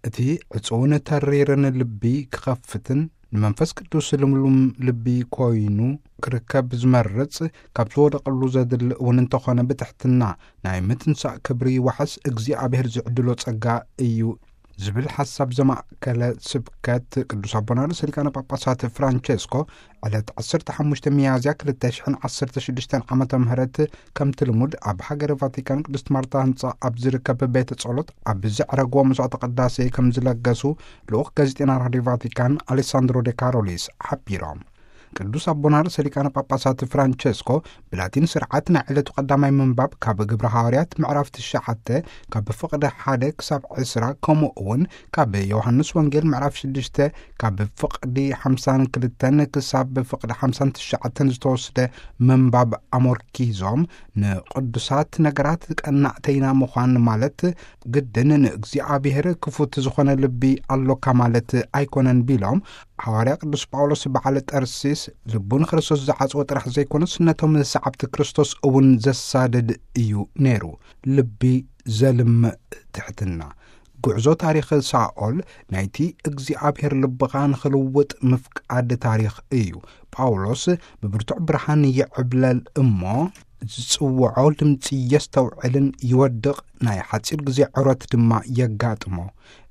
እቲ ዕጹውን ተሪርን ልቢ ክኸፍትን ንመንፈስ ቅዱስ ልምሉም ልቢ ኮይኑ ክርከብ ዝመርጽ፣ ካብ ዝወደቐሉ ዘድሊ እውን እንተኾነ ብትሕትና ናይ ምትንሳእ ክብሪ ዋሕስ እግዚኣብሔር ዝዕድሎ ጸጋ እዩ ዝብል ሓሳብ ዘማእከለ ስብከት ቅዱስ ኣቦና ርእሰ ሊቃነ ጳጳሳት ፍራንቸስኮ ዕለት ዓሰርተ ሓሙሽተ ሚያዝያ ክልተ ሽሕን ዓሰርተ ሽዱሽተን ዓመተ ምህረት ከምቲ ልሙድ ኣብ ሃገረ ቫቲካን ቅድስት ማርታ ህንጻ ኣብ ዝርከብ ቤተ ጸሎት ኣብ ዘዕረግዎ መስዋዕተ ቅዳሴ ከም ዝለገሱ ልኡኽ ጋዜጠና ራድዮ ቫቲካን ኣሌሳንድሮ ዴ ካሮሊስ ሓቢሮም። ቅዱስ ኣቦና ርእሰ ሊቃነ ጳጳሳት ፍራንቸስኮ ብላቲን ስርዓት ናይ ዕለቱ ቀዳማይ ምንባብ ካብ ግብረ ሃዋርያት ምዕራፍ ትሽዓተ ካብ ፍቕዲ ሓደ ክሳብ ዕስራ፣ ከምኡ እውን ካብ ዮሃንስ ወንጌል ምዕራፍ ሽዱሽተ ካብ ፍቕዲ ሓምሳን ክልተን ክሳብ ፍቕዲ ሓምሳን ትሽዓተን ዝተወስደ ምንባብ ኣሞርኪዞም፣ ንቅዱሳት ነገራት ቀናእተይና ምዃን ማለት ግድን ንእግዚኣብሔር ክፉት ዝኾነ ልቢ ኣሎካ ማለት ኣይኮነን ቢሎም፣ ሃዋርያ ቅዱስ ጳውሎስ በዓል ጠርሲስ ልቡ ንክርስቶስ ዝዓጽወ ጥራሕ ዘይኮነስ ነቶም ሰዓብቲ ክርስቶስ እውን ዘሳድድ እዩ ነይሩ። ልቢ ዘልምእ ትሕትና። ጉዕዞ ታሪኽ ሳኦል ናይቲ እግዚኣብሔር ልብኻ ንኽልውጥ ምፍቃድ ታሪኽ እዩ። ጳውሎስ ብብርቱዕ ብርሃን ይዕብለል እሞ፣ ዝጽውዖ ድምጺ የስተውዕልን ይወድቕ፣ ናይ ሓጺር ግዜ ዕረት ድማ የጋጥሞ።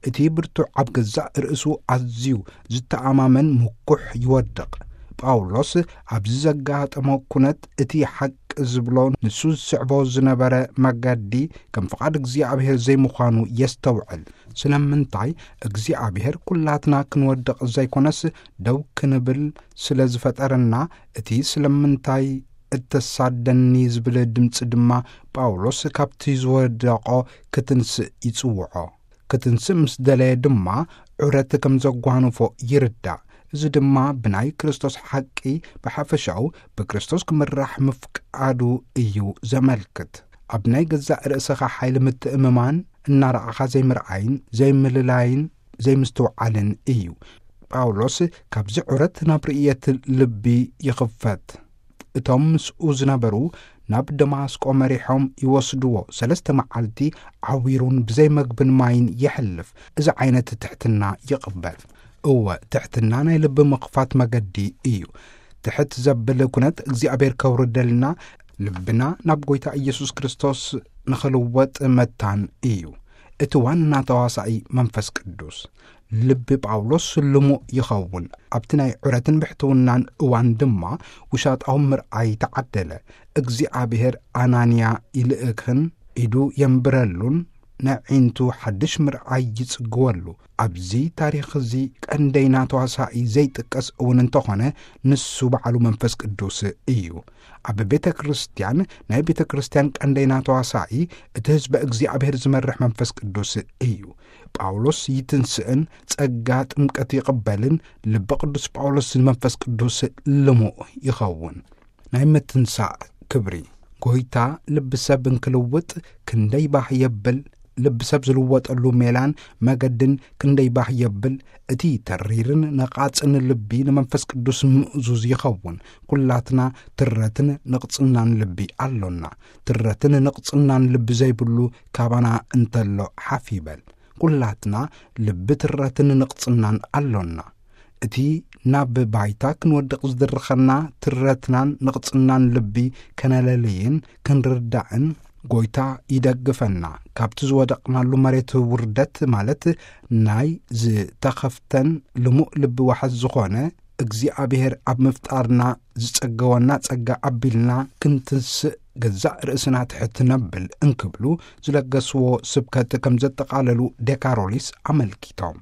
እቲ ብርቱዕ ኣብ ገዛእ ርእሱ ኣዝዩ ዝተኣማመን ምኩሕ ይወድቕ። ጳውሎስ ኣብዚ ዘጋጠሞ ኩነት እቲ ሓቂ ዝብሎ ንሱ ዝስዕቦ ዝነበረ መገዲ ከም ፍቓድ እግዚኣብሔር ዘይምዃኑ የስተውዕል። ስለምንታይ እግዚኣብሔር ኩላትና ክንወድቕ ዘይኮነስ ደው ክንብል ስለ ዝፈጠረና፣ እቲ ስለምንታይ እተሳደኒ ዝብል ድምጺ ድማ ጳውሎስ ካብቲ ዝወደቖ ክትንስእ ይጽውዖ። ክትንስእ ምስ ደለየ ድማ ዑረት ከም ዘጓንፎ ይርዳእ። እዚ ድማ ብናይ ክርስቶስ ሓቂ ብሓፈሻኡ ብክርስቶስ ክምራሕ ምፍቃዱ እዩ ዘመልክት። ኣብ ናይ ገዛእ ርእስኻ ሓይሊ ምትእምማን እናረኣኻ ዘይምርኣይን ዘይምልላይን ዘይምስትውዓልን እዩ። ጳውሎስ ካብዚ ዑረት ናብ ርእየት ልቢ ይኽፈት። እቶም ምስኡ ዝነበሩ ናብ ደማስቆ መሪሖም ይወስድዎ። ሰለስተ መዓልቲ ዓዊሩን ብዘይ መግብን ማይን የሕልፍ። እዚ ዓይነት ትሕትና ይቕበል። እወ፣ ትሕትና ናይ ልቢ ምኽፋት መገዲ እዩ። ትሕት ዘብል ኩነት እግዚኣብሔር ከውርደልና፣ ልብና ናብ ጐይታ ኢየሱስ ክርስቶስ ንኽልወጥ መታን እዩ። እቲ ዋና ተዋሳኢ መንፈስ ቅዱስ። ልቢ ጳውሎስ ልሙእ ይኸውን። ኣብቲ ናይ ዑረትን ብሕትውናን እዋን ድማ ውሻጣዊ ምርኣይ ተዓደለ። እግዚኣብሔር ኣናንያ ይልእክን ኢዱ የንብረሉን ነዒንቱ ሓድሽ ምርኣይ ይጽግወሉ። ኣብዚ ታሪኽ እዚ ቀንደይና ተዋሳኢ ዘይጥቀስ እውን እንተኾነ፣ ንሱ በዓሉ መንፈስ ቅዱስ እዩ። ኣብ ቤተ ክርስቲያን ናይ ቤተ ክርስቲያን ቀንደይና ተዋሳኢ እቲ ህዝበ እግዚኣብሔር ዝመርሕ መንፈስ ቅዱስ እዩ። ጳውሎስ ይትንስእን ጸጋ ጥምቀት ይቕበልን ልቢ ቅዱስ ጳውሎስ ንመንፈስ ቅዱስ ልሙእ ይኸውን። ናይ ምትንሳእ ክብሪ። ጐይታ ልቢ ሰብ እንክልውጥ ክንደይ ባህ የብል፣ ልቢ ሰብ ዝልወጠሉ ሜላን መገድን ክንደይ ባህ የብል። እቲ ተሪርን ነቓጽን ልቢ ንመንፈስ ቅዱስ ምእዙዝ ይኸውን። ኩላትና ትረትን ንቕጽናን ልቢ ኣሎና። ትረትን ንቕጽናን ልቢ ዘይብሉ ካባና እንተሎ ሓፍ ይበል። ኩላትና ልቢ ትረትን ንቕጽናን ኣሎና። እቲ ናብ ባይታ ክንወድቕ ዝድርኸና ትረትናን ንቕጽናን ልቢ ከነለልይን ክንርዳእን ጐይታ ይደግፈና። ካብቲ ዝወደቕናሉ መሬት ውርደት፣ ማለት ናይ ዝተኸፍተን ልሙእ ልቢ ዋሕስ ዝኾነ እግዚኣብሔር ኣብ ምፍጣርና ዝጸገወና ጸጋ ኣቢልና ክንትንስእ፣ ገዛእ ርእስና ትሕት ነብል እንክብሉ ዝለገስዎ ስብከት ከም ዘጠቓለሉ ዴካሮሊስ ኣመልኪቶም።